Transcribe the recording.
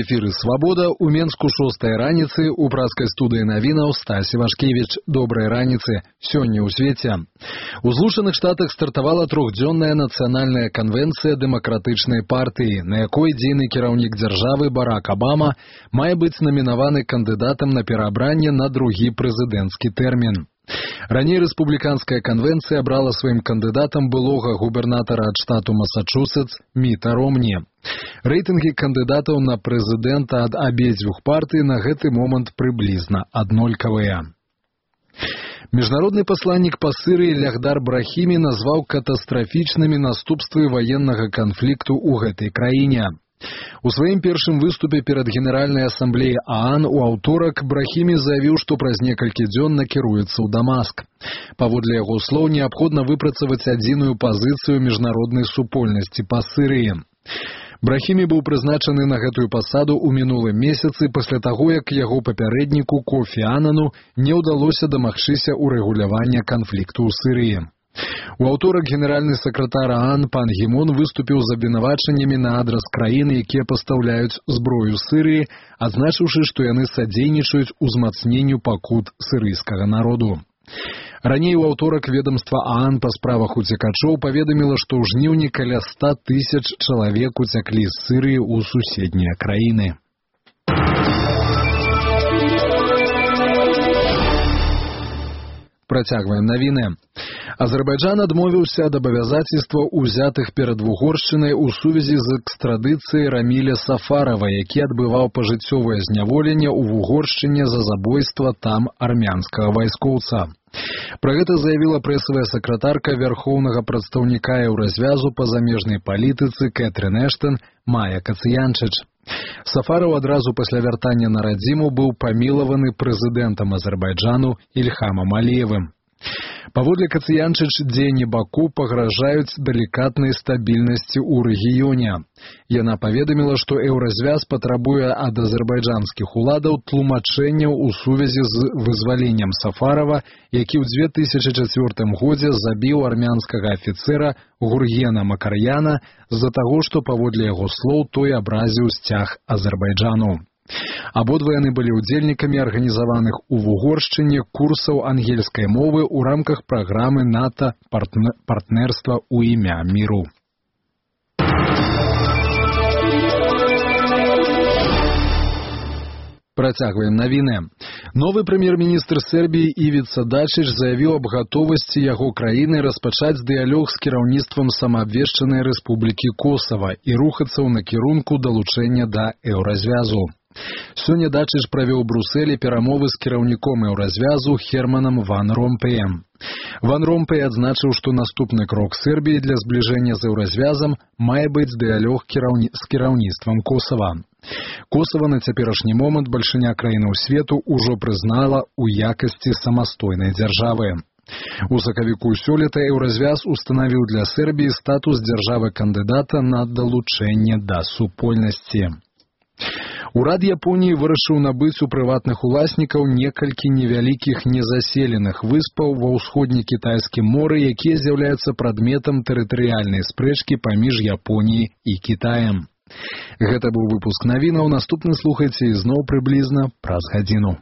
эфіры «Свабода», у Менску 6 раніцы, у праскай студыі навінаў Стась Івашкевіч. Добрай раніцы. Сёння ў свеце. У Злучаных Штатах стартавала трохдзённая нацыянальная канвенцыя дэмакратычнай партыі, на якой дзейны кіраўнік дзяржавы Барак Абама мае быць намінаваны кандыдатам на пераабранне на другі прэзідэнцкі тэрмін. Раней рэспубліканская канвенцыя абрала сваім кандыдатам былога губернатара ад штату Масачусетс Міта Ромні. Рэйтынгі кандыдатаў на прэзідэнта ад абедзвюх партый на гэты момант прыблізна аднолькавыя. Міжнародны пасланнік па Сырыі Лягдар Брахімі назваў катастрафічнымі наступствы ваеннага канфлікту ў гэтай краіне. У сваім першым выступе перад Генеральнай асамблеяй ААН у аўторак Брахімі заявіў, што праз некалькі дзён накіруецца ў Дамаск. Паводле яго слоў, неабходна выпрацаваць адзіную пазіцыю міжнароднай супольнасці па Сырыі. Брахімі быў прызначаны на гэтую пасаду ў минулым месяцы пасля таго, як яго папярэдніку Кофі Анану не ўдалося дамагчыся ўрэгулявання канфлікту ў Сырыі. У аўторак генеральны сакратар ААН пан Гі Мун выступіў з абвінавачаннямі на адрас краін, якія пастаўляюць зброю Сырыі, адзначыўшы, што яны садзейнічаюць узмацненню пакут сырыйскага народу. Раней у аўторак ведомства ААН па справах уцекачоў паведаміла, што ў жніўні каля 100 000 чалавек уцяклі з Сырыі ў суседнія краіны. Працягваем навіны. Азербайджан адмовіўся ад абавязацельстваў, узятых перад Вугоршчынай у сувязі з экстрадыцыяй Раміля Сафарова, які адбываў пажыццёвае зняволенне ў Вугоршчыне за забойства там армянскага вайскоўца. Пра гэта заявіла прэсавая сакратарка вярхоўнага прадстаўніка Еўразвязу па замежнай палітыцы Кэтрын Эштон Майя Кацыянчыч. Сафараў адразу пасля вяртання на радзіму быў памілаваны прэзідэнтам Азербайджану Ільхамам Аліевым. Паводле Кацыянчыч, дзеянні Баку пагражаюць далікатнай стабільнасці ў рэгіёне. Яна паведаміла, што Еўразвяз патрабуе ад азербайджанскіх уладаў тлумачэнняў у сувязі з вызваленнем Сафарова, які ў 2004 годзе забіў армянскага афіцэра Гургена Макарьяна з-за таго, што паводле яго слоў той абразіў сцяг Азербайджану. Абодва яны былі ўдзельнікамі арганізаваных у Вугоршчыне курсаў ангельскай мовы ў рамках праграмы НАТО «Партнерства ў імя міру». Працягваем навіны. Новы прэм'ер-міністр Сербіі Івіца Дачыч заявіў аб гатовасці яго краіны распачаць дыялог з кіраўніцтвам самаабвешчанай рэспублікі Косава і рухацца ў накірунку далучэння да Еўразвязу. Сёння Дачыч правёў у Брусэлі перамовы з кіраўніком Еўразвязу Херманам Ван Ромпеем. Ван Ромпей адзначыў, што наступны крок Сербіі для збліжэння з Еўразвязам мае быць дыялог з кіраўніцтвам Косава. Косава на цяперашні момант бальшыня краінаў свету ўжо прызнала ў якасці самастойнай дзяржавы. У сакавіку сёлета Еўразвяз устанавіў для Сербіі статус дзяржавы-кандыдата на далучэнне да супольнасці. Урад Японіі вырашыў набыць у прыватных уласнікаў некалькі невялікіх незаселеных выспаў ва ўсходне-кітайскім моры, якія з'яўляюцца прадметам тэрытарыяльнай спрэчкі паміж Японіяй і Кітаем. Гэта быў выпуск навінаў. Наступны слухайце ізноў прыблізна праз гадзіну.